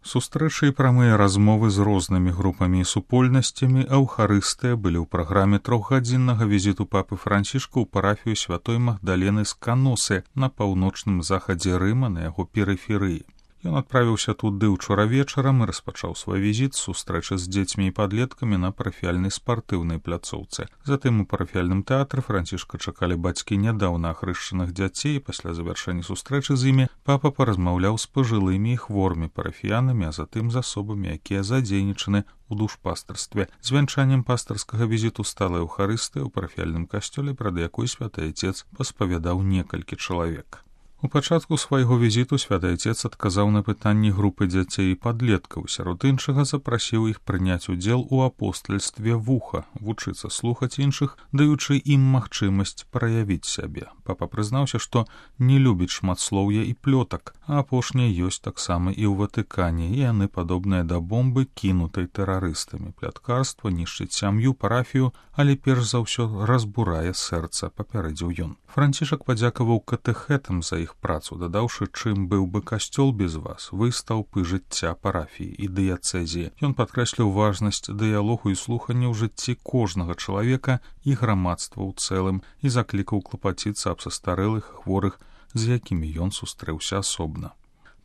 Сустрэчы і прамыя размовы з рознымі групамі і супольнасцямі аўхарыстыя былі ў праграме трохгадзіннага візіту папы Францішка ў парафію святой Магдалены з Каносы на паўночным захадзе Рыма на яго перыферыі. Ён адправіўся туды ўчора вечарам і распачаў свой візіт з сустрэчы з дзецьмі і падлеткамі на парафіяльнай спартыўнай пляцоўцы. Затым у парафіяльным тэатры Францішка чакалі бацькі нядаўна ахрышчаных дзяцей, і пасля завяршэння сустрэчы з імі папа паразмаўляў з пажылымі і хворымі парафіянамі, а затым з асобамі, якія задзейнічаны у душпастарстве. Звянчаннем пастарскага візіту стала эўхарыстыя ў парафіяльным касцёле, прад якой святы Айцец паспавядаў некалькі чалавек. У пачатку свайго візіту святы Айцец адказаў на пытанні групы дзяцей і падлеткаў, сярод іншага запрасіў іх прыняць удзел у апостальстве вуха, вучыцца слухаць іншых, даючы ім магчымасць праявіць сябе. Папа прызнаўся, што не любіць шматслоўя і плётак, а апошняе ёсць таксама і ў Ватыкане, і яны падобныя да бомбы, кінутай тэрарыстамі. Пляткарства нішчыць сям'ю, парафію, але перш за ўсё разбурае сэрца, папярэдзіў ён. Францішак падзякаваў катэхэтам за іх працу, дадаўшы, чым быў бы касцёл без вас, вы стаўпы жыцця парафіі і дыяцэзіі. Ён падкрэсліў важнасць дыялогу і слухання ў жыцці кожнага чалавека і грамадства ў цэлым і заклікаў клапаціцца аб састарэлых і хворых, з якімі ён сустрэўся асобна.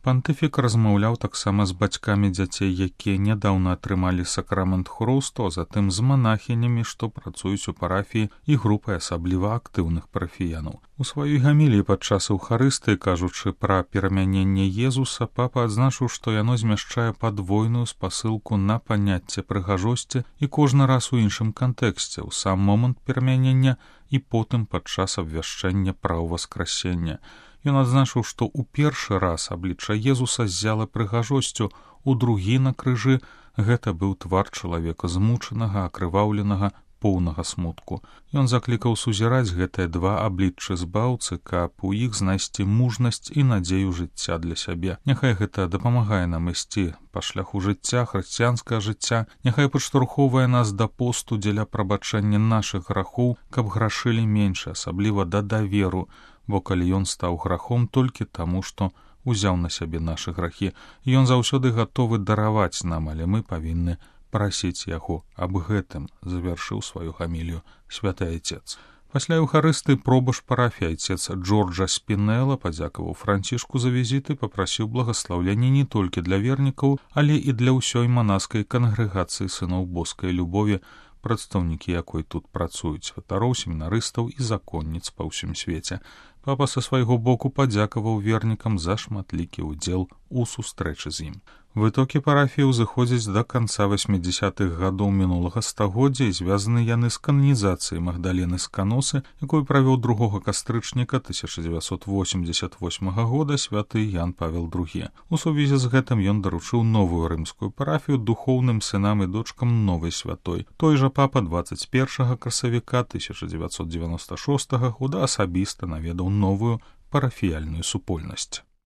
Пантыфік размаўляў таксама з бацькамі дзяцей, якія нядаўна атрымалі сакрамент хрусту, а затым з манахінямі, што працуюць у парафіі, і групай асабліва актыўных парафіянаў. У сваёй гаміліі падчас эўхарыстыі, кажучы пра перамяненне Езуса, папа адзначыў, што яно змяшчае падвойную спасылку на паняцце прыгажосці і кожны раз у іншым кантэксце, у сам момант перамянення і потым падчас абвяшчэння пра ўваскрасення. Ён адзначыў, што ў першы раз аблічча Езуса ззяла прыгажосцю, у другі на крыжы гэта быў твар чалавека змучанага, акрываўленага, поўнага смутку. Ён заклікаў сузіраць гэтыя два абліччы збаўцы, каб у іх знайсці мужнасць і надзею жыцця для сябе. Няхай гэта дапамагае нам ісці па шляху жыцця, хрысціянскага жыцця, няхай падштурхоўвае нас да посту дзеля прабачэння нашых грахоў, каб грашылі менш, асабліва да даверу, бо калі ён стаў грахом толькі таму, што узяў на сябе нашы грахі, ён заўсёды гатовы дараваць нам, але мы павінны прасіць яго аб гэтым, завяршыў сваю гамілію святы Айцец. Пасля эўхарысты пробаш парафіі Айцец Джорджа Спінэла падзякаваў Францішку за візіты, папрасіў благаслаўлення не толькі для вернікаў, але і для ўсёй манаскай кангрэгацыі сыноў боскай любові, прадстаўнікі якой тут працуюць, святароў, семінарыстаў і законніц па ўсім свеце. Папа са свайго боку падзякаваў вернікам за шматлікі ўдзел у сустрэчы з ім. Вытокі парафіі ўзыходзяць да канца 80-х гадоў мінулага стагоддзя і звязаны яны з кананізацыяй Магдалены з Каносы, якую правёў 2 кастрычніка 1988 года святы Ян Павел II. У сувязі з гэтым ён даручыў новую рымскую парафію духоўным сынам і дочкам новай святой. Той жа папа 21 красавіка 1996 года асабіста наведаў новую парафіяльную супольнасць.